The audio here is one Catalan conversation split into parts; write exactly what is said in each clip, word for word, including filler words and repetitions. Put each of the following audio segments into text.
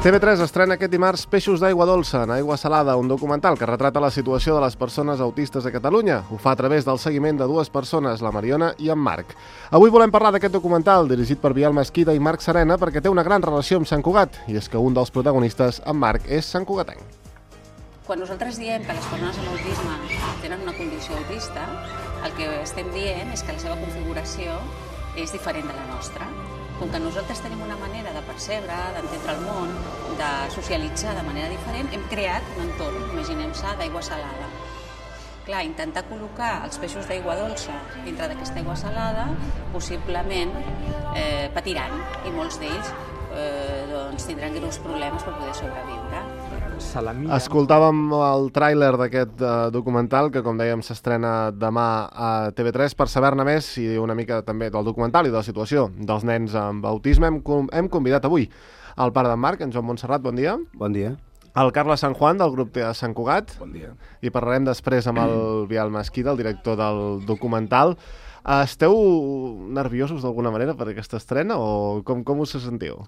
T V tres estrena aquest dimarts Peixos d'aigua dolça en aigua salada, un documental que retrata la situació de les persones autistes a Catalunya. Ho fa a través del seguiment de dues persones, la Mariona i en Marc. Avui volem parlar d'aquest documental, dirigit per Biel Mesquida i Marc Serena, perquè té una gran relació amb Sant Cugat, i és que un dels protagonistes, en Marc, és santcugatenc. Quan nosaltres diem que les persones amb autisme tenen una condició autista, el que estem dient és que la seva configuració és diferent de la nostra. Com que nosaltres tenim una manera de percebre, d'entendre el món, de socialitzar de manera diferent, hem creat un entorn, imaginem-se, d'aigua salada. Clar, intentar col·locar els peixos d'aigua dolça dintre d'aquesta aigua salada, possiblement eh, patiran, i molts d'ells eh, doncs, tindran greus problemes per poder sobreviure. Escoltàvem el tràiler d'aquest uh, documental que, com dèiem, s'estrena demà a T V tres. Per saber-ne més i una mica també del documental i de la situació dels nens amb autisme, hem, hem convidat avui el pare d'en Marc, en Joan Montserrat, bon dia. Bon dia. El Carles San Juan, del grup de Sant Cugat. Bon dia. I parlarem després amb el Biel Mesquida, el director del documental. Esteu nerviosos d'alguna manera per aquesta estrena o com, com us sentiu?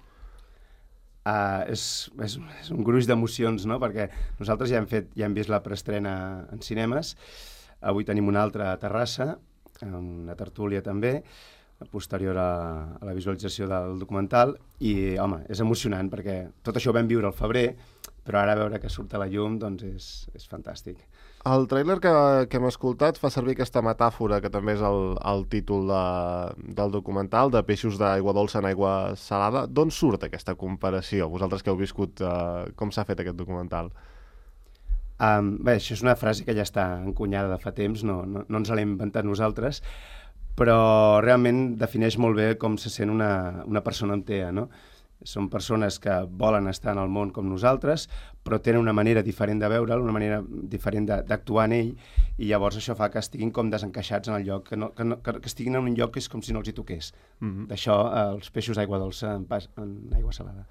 Uh, és, és, és un gruix d'emocions, no? Perquè nosaltres ja hem, fet, ja hem vist la preestrena en cinemes, avui tenim una altra a Terrassa, una tertúlia també, posterior a, a la visualització del documental, i home, és emocionant perquè tot això ho vam viure al febrer, però ara veure que surt a la llum doncs és, és fantàstic. El tràiler que, que hem escoltat fa servir aquesta metàfora, que també és el, el títol de, del documental, de peixos d'aigua dolça en aigua salada. D'on surt aquesta comparació? Vosaltres que heu viscut, uh, com s'ha fet aquest documental? Um, bé, això és una frase que ja està encunyada de fa temps, no, no, no ens l'hem inventat nosaltres, però realment defineix molt bé com se sent una, una persona amb T E A, no? Són persones que volen estar en el món com nosaltres, però tenen una manera diferent de veure'l, una manera diferent d'actuar en ell, i llavors això fa que estiguin com desencaixats en el lloc, que, no, que, no, que estiguin en un lloc que és com si no els hi toqués. Mm-hmm. D'això, eh, els peixos d'aigua dolça en, pas, en aigua salada.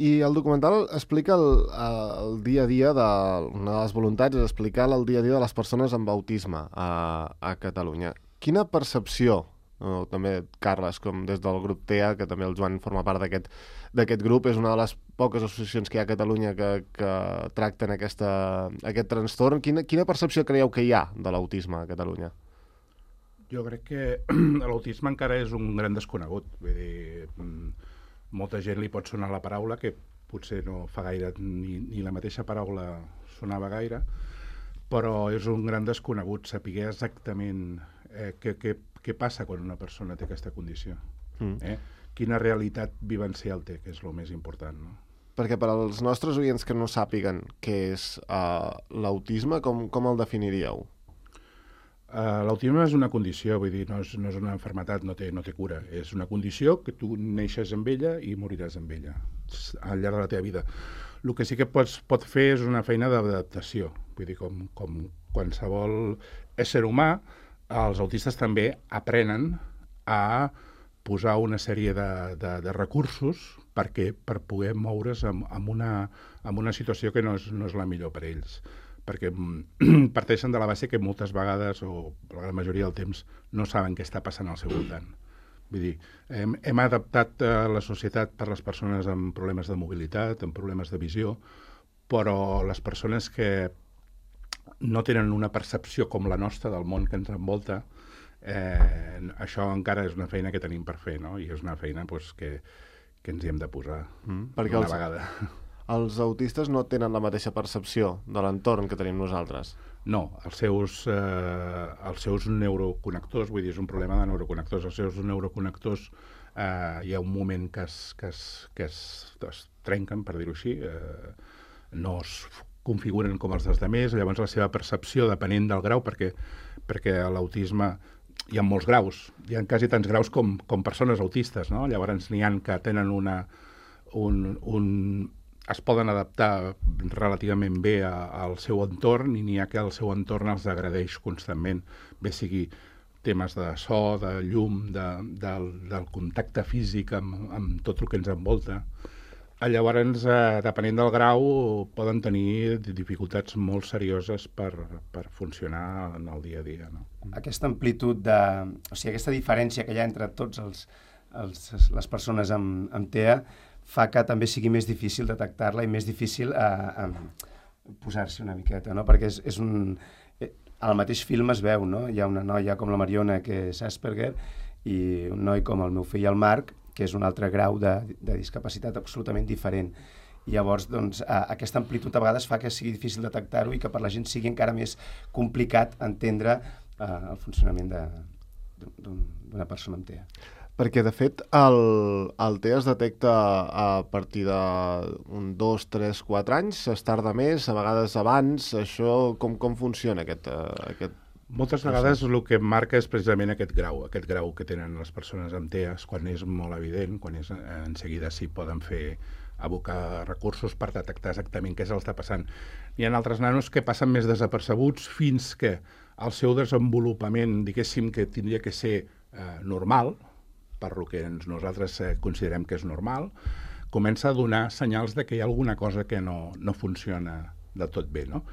I el documental explica el, el dia a dia, de, una de les voluntats és explicar el dia a dia de les persones amb autisme a, a Catalunya. Quina percepció, o també Carles, com des del grup T E A, que també el Joan forma part d'aquest d'aquest grup, és una de les poques associacions que hi ha a Catalunya que, que tracten aquesta, aquest trastorn. Quina, quina percepció creieu que hi ha de l'autisme a Catalunya? Jo crec que l'autisme encara és un gran desconegut. Vull dir, molta gent li pot sonar la paraula, que potser no fa gaire ni, ni la mateixa paraula sonava gaire, però és un gran desconegut saber exactament eh, què, què, què passa quan una persona té aquesta condició. Mm. Eh? Quina realitat vivencial té, que és el més important, no? Perquè per als nostres oients que no sàpiguen què és uh, l'autisme, com, com el definiríeu? Uh, l'autisme és una condició, vull dir, no és, no és una malaltia, no té, no té cura. És una condició que tu neixes amb ella i moriràs amb ella al llarg de la teva vida. El que sí que pots, pot fer és una feina d'adaptació. Vull dir, com, com qualsevol ésser humà, els autistes també aprenen a posar una sèrie de, de, de recursos perquè, per poder moure's amb, amb, una, amb una situació que no és, no és la millor per ells. Perquè parteixen de la base que moltes vegades, o la gran majoria del temps, no saben què està passant al seu voltant. Vull dir, hem, hem adaptat la societat per les persones amb problemes de mobilitat, amb problemes de visió, però les persones que no tenen una percepció com la nostra del món que ens envolta, Eh, això encara és una feina que tenim per fer, no? I és una feina pues, que, que ens hi hem de posar mm, perquè una els, vegada. Els autistes no tenen la mateixa percepció de l'entorn que tenim nosaltres. No, els seus, eh, els seus neuroconnectors, vull dir, és un problema de neuroconnectors, els seus neuroconnectors eh, hi ha un moment que es, que es, que es, es trenquen, per dir-ho així, eh, no es configuren com els dels altres, llavors la seva percepció, depenent del grau, perquè, perquè l'autisme hi ha molts graus, hi ha quasi tants graus com, com persones autistes, no? Llavors n'hi ha que tenen una... Un, un, es poden adaptar relativament bé a, al seu entorn i n'hi ha que el seu entorn els agradeix constantment, bé sigui temes de so, de llum, de, del, del contacte físic amb, amb tot el que ens envolta. Llavors, eh, depenent del grau, poden tenir dificultats molt serioses per, per funcionar en el dia a dia, no? Aquesta amplitud de... O sigui, aquesta diferència que hi ha entre tots els, els, les persones amb, amb T E A fa que també sigui més difícil detectar-la i més difícil eh, eh, posar-s'hi una miqueta, no? Perquè és, és un... Al mateix film es veu, no? Hi ha una noia com la Mariona, que és Asperger, i un noi com el meu fill, el Marc, que és un altre grau de, de discapacitat absolutament diferent. I llavors, doncs, aquesta amplitud a vegades fa que sigui difícil detectar-ho i que per la gent sigui encara més complicat entendre eh, el funcionament d'una persona amb T E A. Perquè, de fet, el, el T E A es detecta a partir d'un dos, tres, quatre anys, es tarda més, a vegades abans. Això, com, com funciona aquest, uh, aquest Moltes vegades el que marca és precisament aquest grau, aquest grau que tenen les persones amb T E A, quan és molt evident, quan és, en seguida sí poden fer abocar recursos per detectar exactament què se'ls està passant. Hi ha altres nanos que passen més desapercebuts fins que el seu desenvolupament, diguéssim, que tindria que ser eh, normal, per lo que ens, nosaltres eh, considerem que és normal, comença a donar senyals de que hi ha alguna cosa que no, no funciona del tot bé, no?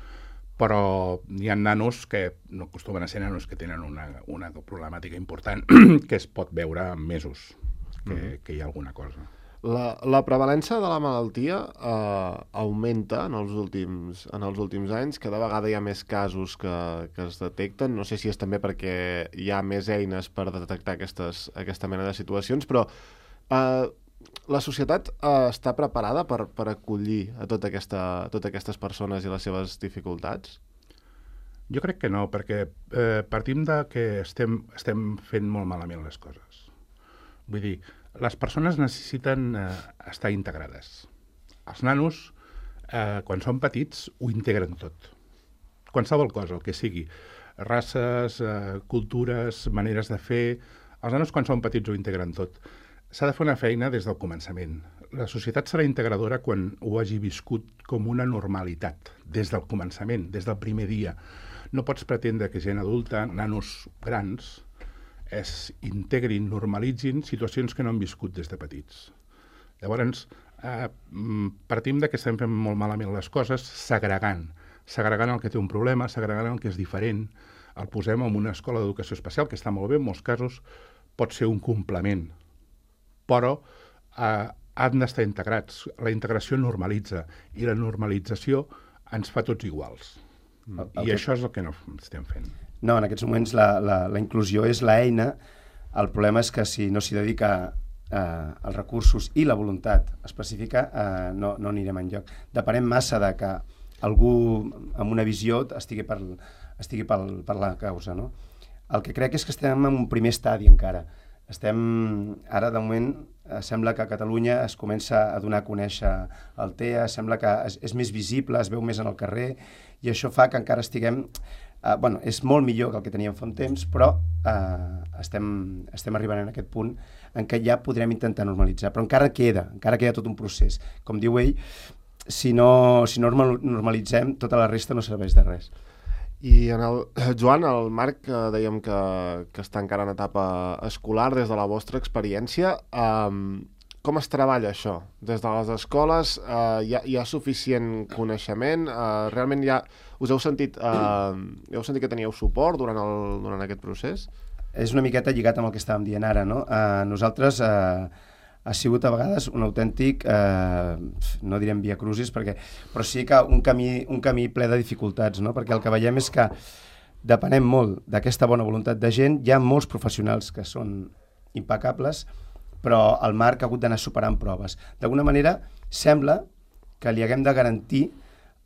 Però hi ha nanos que no acostumen a ser nanos que tenen una, una problemàtica important que es pot veure en mesos, que, mm. que hi ha alguna cosa. La, la prevalença de la malaltia eh, augmenta en els, últims, en els últims anys. Cada vegada hi ha més casos que, que es detecten. No sé si és també perquè hi ha més eines per detectar aquestes, aquesta mena de situacions, però eh, la societat eh, està preparada per, per acollir a tota aquesta, totes aquestes persones i les seves dificultats? Jo crec que no, perquè eh, partim de que estem, estem fent molt malament les coses. Vull dir, les persones necessiten eh, estar integrades. Els nanos, eh, quan són petits, ho integren tot. Qualsevol cosa, el que sigui. Races, eh, cultures, maneres de fer... Els nanos, quan són petits, ho integren tot. S'ha de fer una feina des del començament. La societat serà integradora quan ho hagi viscut com una normalitat, des del començament, des del primer dia. No pots pretendre que gent adulta, nanos grans, es integrin, normalitzin situacions que no han viscut des de petits. Llavors, eh, partim de que estem fent molt malament les coses, segregant. Segregant el que té un problema, segregant el que és diferent. El posem en una escola d'educació especial, que està molt bé, en molts casos pot ser un complement. Però eh, han d'estar integrats. La integració normalitza, i la normalització ens fa tots iguals. Mm. I okay. Això és el que no estem fent. No, en aquests moments la, la, la inclusió és l'eina. El problema és que si no s'hi dedica eh, els recursos i la voluntat específica, eh, no, no anirem enlloc. Depenem massa de que algú amb una visió estigui per, estigui per, per la causa, no? El que crec és que estem en un primer estadi encara. Estem, ara, de moment, eh, sembla que a Catalunya es comença a donar a conèixer el T E A, sembla que és, és més visible, es veu més en el carrer, i això fa que encara estiguem... Uh, bueno, és molt millor que el que teníem fa un temps, però uh, estem, estem arribant en aquest punt en què ja podrem intentar normalitzar. Però encara queda, encara queda tot un procés. Com diu ell, si no, si no normalitzem, tota la resta no serveix de res. I en el, Joan, el Marc, eh, dèiem que, que està encara en etapa escolar, des de la vostra experiència, eh, com es treballa això? Des de les escoles eh, hi, ha, hi ha suficient coneixement? Eh, realment hi ha, us heu sentit, eh, heu sentit que teníeu suport durant, el, durant aquest procés? És una miqueta lligat amb el que estàvem dient ara, no? Eh, nosaltres eh, ha sigut a vegades un autèntic, eh, no direm via crucis, perquè, però sí que un camí, un camí ple de dificultats, no? Perquè el que veiem és que depenem molt d'aquesta bona voluntat de gent. Hi ha molts professionals que són impecables, però el Marc ha hagut d'anar superant proves. D'alguna manera, sembla que li haguem de garantir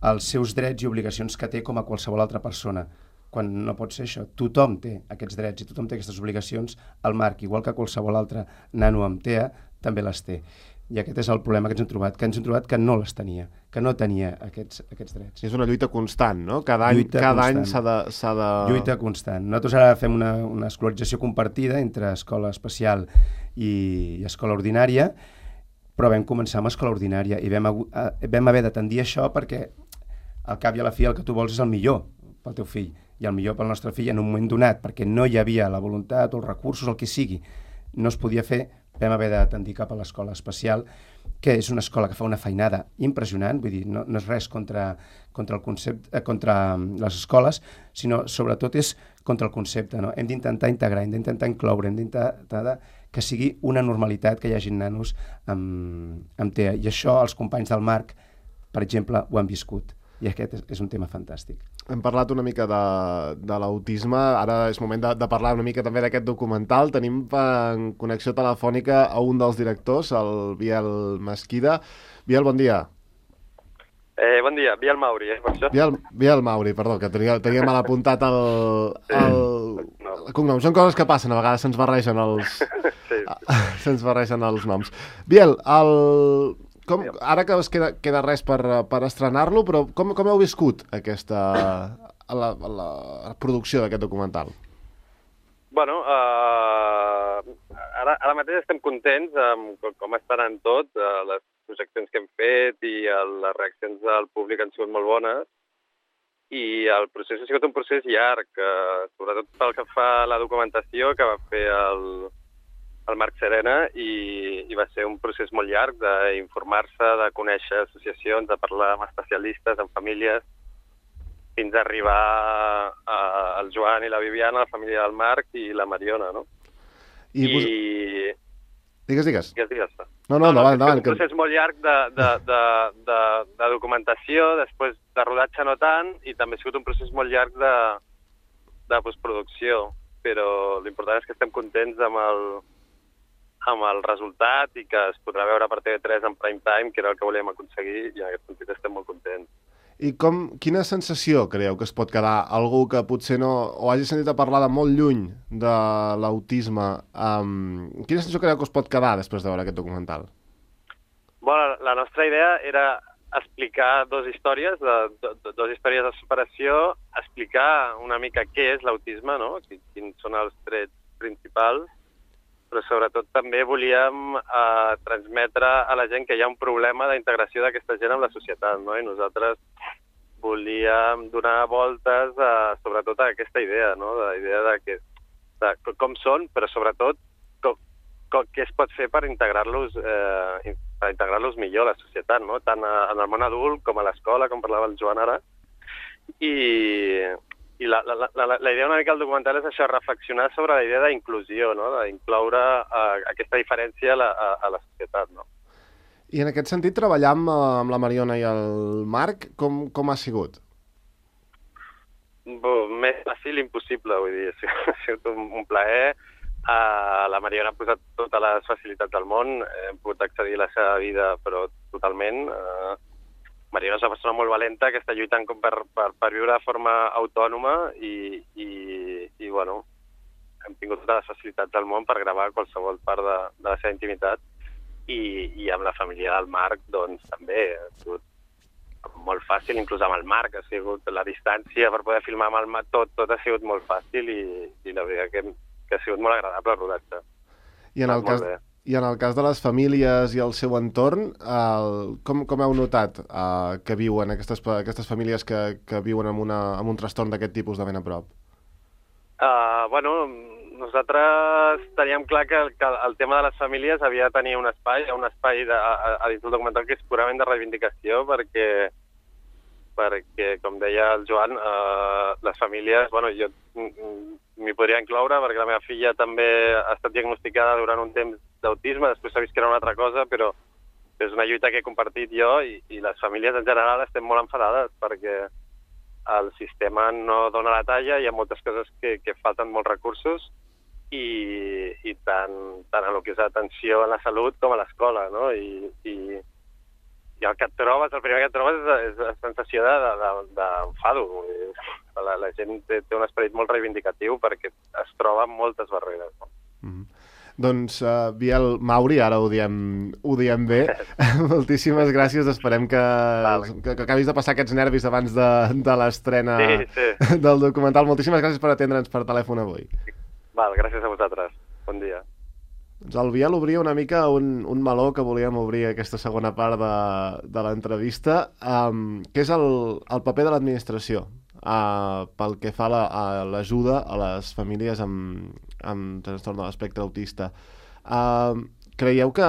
els seus drets i obligacions que té com a qualsevol altra persona, quan no pot ser això. Tothom té aquests drets i tothom té aquestes obligacions. El Marc, igual que qualsevol altre nano amb T E A, també les té. I aquest és el problema que ens hem trobat, que ens hem trobat que no les tenia, que no tenia aquests, aquests drets. És una lluita constant, no? Cada any, cada any s'ha de, s'ha de... Lluita constant. Nosaltres ara fem una, una escolarització compartida entre escola especial i, i escola ordinària, però vam començar amb escola ordinària i vam, eh, vam haver de tendir això perquè al cap i a la fi el que tu vols és el millor pel teu fill i el millor pel nostre fill en un moment donat, perquè no hi havia la voluntat o els recursos, el que sigui. No es podia fer, vam haver de tendir cap a l'escola especial, que és una escola que fa una feinada impressionant, vull dir, no, no és res contra, contra, el concepte, eh, contra les escoles, sinó sobretot és contra el concepte. No? Hem d'intentar integrar, hem d'intentar incloure, hem d'intentar que sigui una normalitat que hi hagi nanos amb, amb T E A. I això els companys del Marc, per exemple, ho han viscut. I aquest és, és un tema fantàstic. Hem parlat una mica de, de l'autisme, ara és moment de, de parlar una mica també d'aquest documental. Tenim en connexió telefònica a un dels directors, el Biel Mesquida. Biel, bon dia. Eh, bon dia, Biel Mauri, eh, per això? Biel, Biel Mauri, perdó, que tenia, tenia mal apuntat el, el, el cognom. Són coses que passen, a vegades se'ns barregen els, sí. se'ns barregen els noms. Biel, el... Com, ara que es queda, queda res per, per estrenar-lo, però com, com heu viscut aquesta, la, la, la producció d'aquest documental? Bueno, uh, ara, ara mateix estem contents amb com està anant tot, uh, les projeccions que hem fet i el, les reaccions del públic han sigut molt bones i el procés ha sigut un procés llarg, uh, sobretot pel que fa a la documentació que va fer el... el Marc Serena i, i va ser un procés molt llarg d'informar-se, de conèixer associacions, de parlar amb especialistes, amb famílies, fins a arribar a, al Joan i la Viviana, la família del Marc i la Mariona, no? I... Vos... I... Digues, digues. Digues, digues. No, no, endavant, endavant. És un procés molt llarg de, de, de, de, de documentació, després de rodatge no tant, i també ha sigut un procés molt llarg de, de postproducció, però l'important és que estem contents amb el, amb el resultat i que es podrà veure per T V tres en prime time, que era el que volíem aconseguir, i en aquest sentit estem molt contents. I com, quina sensació creieu que es pot quedar algú que potser no, o hagi sentit a parlar de molt lluny de l'autisme, um, quina sensació creieu que es pot quedar després de veure aquest documental? Bueno, la nostra idea era explicar dues històries, de, de, de, dues històries de superació, explicar una mica què és l'autisme, no? Quins són els trets principals, però sobretot també volíem eh, transmetre a la gent que hi ha un problema d'integració d'aquesta gent amb la societat, no? I nosaltres volíem donar voltes a, sobretot a aquesta idea, no? De la idea de, que, de com són, però sobretot com, com, què es pot fer per integrar-los eh, per integrar-los millor a la societat, no? Tant a, en el món adult com a l'escola, com parlava el Joan ara. I... I la, la, la, la idea una mica del documental és això, reflexionar sobre la idea d'inclusió, no? D'incloure uh, aquesta diferència a la, a, a la societat, no? I en aquest sentit, treballar amb, amb la Mariona i el Marc, com, com ha sigut? Bo, més fàcil impossible, vull dir, ha sigut un, un plaer. Uh, la Mariona ha posat totes les facilitats del món, hem pogut accedir a la seva vida, però totalment... Uh, Mariona és una persona molt valenta que està lluitant com per, per, per viure de forma autònoma i, i, i bueno, hem tingut totes les facilitats del món per gravar qualsevol part de, de la seva intimitat i, i amb la família del Marc doncs també ha sigut molt fàcil, inclús amb el Marc ha sigut la distància per poder filmar amb el Marc, tot, tot ha sigut molt fàcil i, i la veritat que, que ha sigut molt agradable el rodatge. I en el cas... I en el cas de les famílies i el seu entorn, el, com, com heu notat uh, que viuen aquestes, aquestes famílies que, que viuen amb, una, amb un trastorn d'aquest tipus de ben a prop? Uh, bueno, nosaltres teníem clar que, que el tema de les famílies havia de tenir un espai, un espai de, a, a dins del documental que és purament de reivindicació, perquè, perquè com deia el Joan, uh, les famílies, bueno, jo m'hi podria incloure perquè la meva filla també ha estat diagnosticada durant un temps d'autisme, després s'ha vist que era una altra cosa, però és una lluita que he compartit jo i, i les famílies en general estem molt enfadades perquè el sistema no dona la talla, hi ha moltes coses que, que falten molts recursos i, i tant, tant en el que és atenció a la salut com a l'escola, no? I, i, i el que et trobes, el primer que et trobes és, és la sensació d'enfado. De, de, la, la gent té, té un esperit molt reivindicatiu perquè es troba amb moltes barreres, no? Mm-hmm. Doncs, uh, Biel Mauri, ara ho diem, ho diem bé. Moltíssimes gràcies. Esperem que, que, que acabis de passar aquests nervis abans de, de l'estrena sí, sí. del documental. Moltíssimes gràcies per atendre'ns per telèfon avui. Val, gràcies a vosaltres. Bon dia. Doncs el Biel obria una mica un, un meló que volíem obrir aquesta segona part de, de l'entrevista, um, que és el, el paper de l'administració. Uh, pel que fa a l'ajuda a les famílies amb, amb trastorn de l'espectre autista. Uh, creieu que,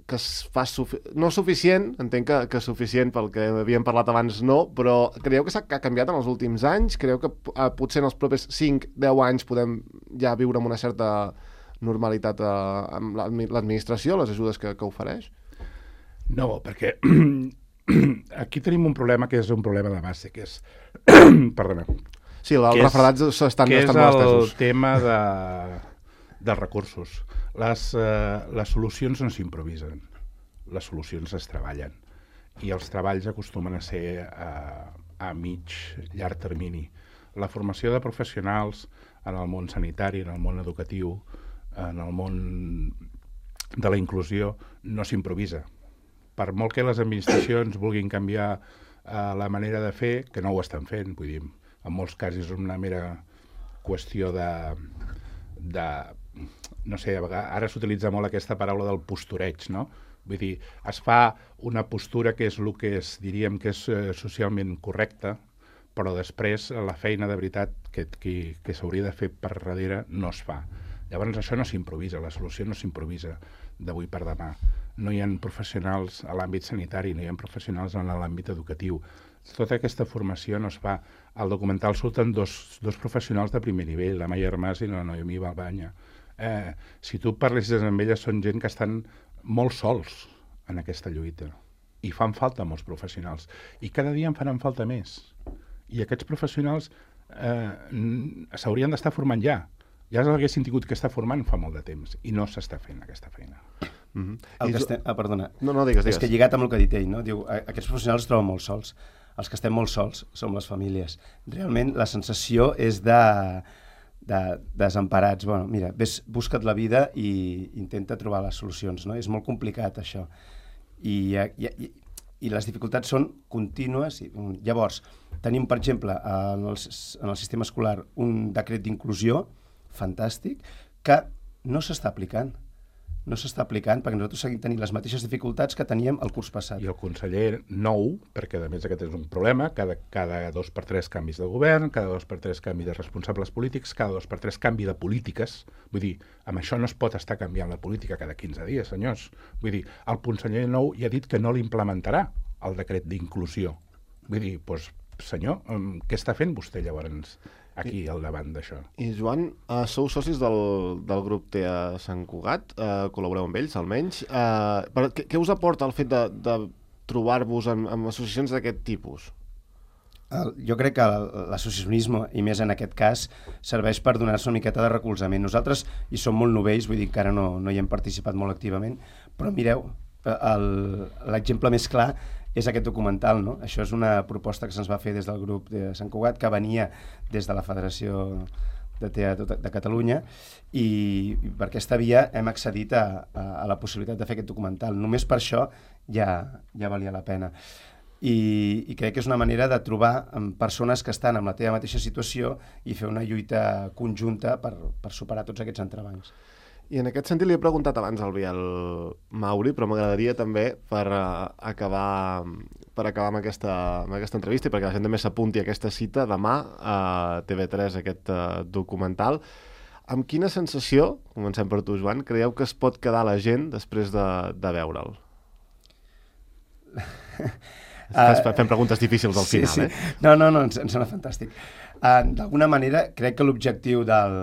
que es fa sufi... no suficient, entenc que, que suficient pel que havíem parlat abans no, però creieu que s'ha ha canviat en els últims anys? Creieu que eh, potser en els propers cinc a deu anys podem ja viure amb una certa normalitat eh, amb l'administració, les ajudes que, que ofereix? No, perquè aquí tenim un problema que és un problema de base, que és... Perdona. Sí, els refredats estan, que estan molt estesos. Que és el tema de, dels recursos. Les, eh, les solucions no s'improvisen, les solucions es treballen. I els treballs acostumen a ser a, a mig, llarg termini. La formació de professionals en el món sanitari, en el món educatiu, en el món de la inclusió, no s'improvisa. Per molt que les administracions vulguin canviar eh, la manera de fer, que no ho estan fent, vull dir, en molts casos és una mera qüestió de... de no sé, ara s'utilitza molt aquesta paraula del postureig, no? Vull dir, es fa una postura que és el que es, diríem que és eh, socialment correcta, però després la feina de veritat que, que, que s'hauria de fer per darrere no es fa. Llavors això no s'improvisa, la solució no s'improvisa d'avui per demà. No hi ha professionals a l'àmbit sanitari, no hi ha professionals en l'àmbit educatiu. Tota aquesta formació no es fa. Al documental surten dos, dos professionals de primer nivell, la Maia Armàs i la Noemí Balbanya. Eh, si tu parlessis amb elles, són gent que estan molt sols en aquesta lluita. I fan falta molts professionals. I cada dia en faran falta més. I aquests professionals eh, s'haurien d'estar formant ja. Ja s'haguessin tingut que estar formant fa molt de temps. I no s'està fent aquesta feina. Mm-hmm. El que estem... Ah, perdona. No, no, digues, digues. És que lligat amb el que ha dit ell, no? Diu, aquests professionals es troben molt sols. Els que estem molt sols som les famílies. Realment la sensació és de, de desemparats. Bueno, mira, ves, busca't la vida i intenta trobar les solucions, no? És molt complicat això. I, i, i, i les dificultats són contínues. I, llavors, tenim, per exemple, en el, en el sistema escolar un decret d'inclusió fantàstic que no s'està aplicant. No s'està aplicant perquè nosaltres seguim tenint les mateixes dificultats que teníem el curs passat. I el conseller nou, perquè a més aquest és un problema, cada, cada dos per tres canvis de govern, cada dos per tres canvi de responsables polítics, cada dos per tres canvi de polítiques. Vull dir, amb això no es pot estar canviant la política cada quinze dies, senyors. Vull dir, el conseller nou ja ha dit que no l'implementarà el decret d'inclusió. Vull dir, doncs, senyor, què està fent vostè llavors aquí al davant d'això? I Joan, uh, sou socis del, del grup T A Sant Cugat, uh, col·laboreu amb ells almenys. Uh, per, què, què us aporta el fet de, de trobar-vos en, en associacions d'aquest tipus? El, jo crec que l'associacionisme, i més en aquest cas, serveix per donar-se una miqueta de recolzament. Nosaltres hi som molt novells, vull dir que encara no, no hi hem participat molt activament, però mireu, l'exemple més clar és aquest documental, no? Això és una proposta que se'ns va fer des del grup de Sant Cugat, que venia des de la Federació de Teatre de Catalunya, i per aquesta via hem accedit a, a, a la possibilitat de fer aquest documental. Només per això ja, ja valia la pena. I, i crec que és una manera de trobar persones que estan en la teva mateixa situació i fer una lluita conjunta per, per superar tots aquests entrebancs. I en aquest sentit li he preguntat abans al Biel Mauri, però m'agradaria també per, uh, acabar, per acabar amb aquesta, amb aquesta entrevista i perquè la gent també s'apunti a aquesta cita demà a T V tres, aquest uh, documental. Amb quina sensació, comencem per tu, Joan, creieu que es pot quedar la gent després de, de veure'l? Uh, Fem preguntes difícils al sí, final, sí. eh? No, no, no, ens, ens sona fantàstic. Uh, D'alguna manera, crec que l'objectiu del...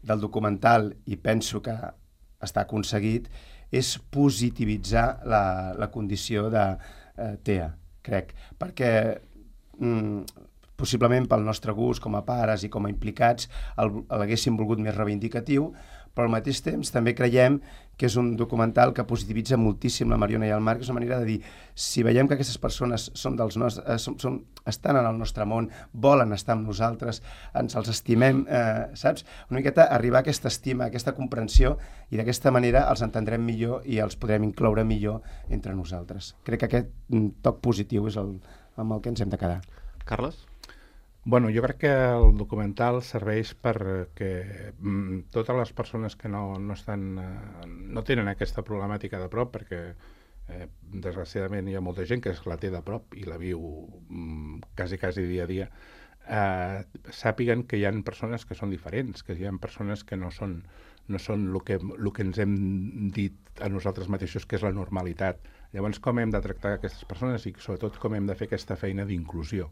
del documental, i penso que està aconseguit, és positivitzar la, la condició de eh, T E A, crec, perquè mm, possiblement pel nostre gust com a pares i com a implicats l'haguéssim volgut més reivindicatiu, però al mateix temps també creiem que és un documental que positivitza moltíssim la Mariona i el Marc. És una manera de dir, si veiem que aquestes persones són dels nostres, eh, són, són, estan en el nostre món, volen estar amb nosaltres, ens els estimem, eh, saps? Una miqueta arribar a aquesta estima, a aquesta comprensió, i d'aquesta manera els entendrem millor i els podrem incloure millor entre nosaltres. Crec que aquest toc positiu és el, amb el que ens hem de quedar. Carles? Bueno, jo crec que el documental serveix perquè mm, totes les persones que no, no, estan, eh, no tenen aquesta problemàtica de prop, perquè eh, desgraciadament hi ha molta gent que la té de prop i la viu mm, quasi, quasi dia a dia, eh, sàpiguen que hi ha persones que són diferents, que hi ha persones que no són, no són el que, el que ens hem dit a nosaltres mateixos que és la normalitat. Llavors, com hem de tractar aquestes persones i sobretot com hem de fer aquesta feina d'inclusió,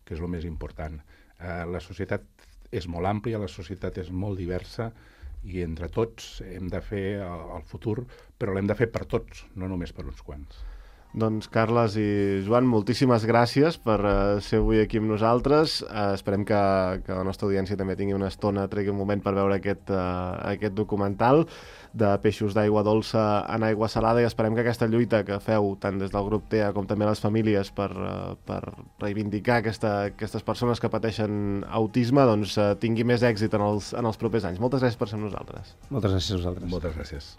que és el més important. Eh, la societat és molt àmplia, la societat és molt diversa, i entre tots hem de fer el, el futur, però l'hem de fer per tots, no només per uns quants. Doncs Carles i Joan, moltíssimes gràcies per uh, ser avui aquí amb nosaltres. Uh, esperem que, que la nostra audiència també tingui una estona, tregui un moment per veure aquest, uh, aquest documental de peixos d'aigua dolça en aigua salada, i esperem que aquesta lluita que feu tant des del grup T E A com també les famílies per, uh, per reivindicar aquesta, aquestes persones que pateixen autisme doncs, uh, tingui més èxit en els, en els propers anys. Moltes gràcies per ser amb nosaltres. Moltes gràcies a vosaltres. Moltes gràcies.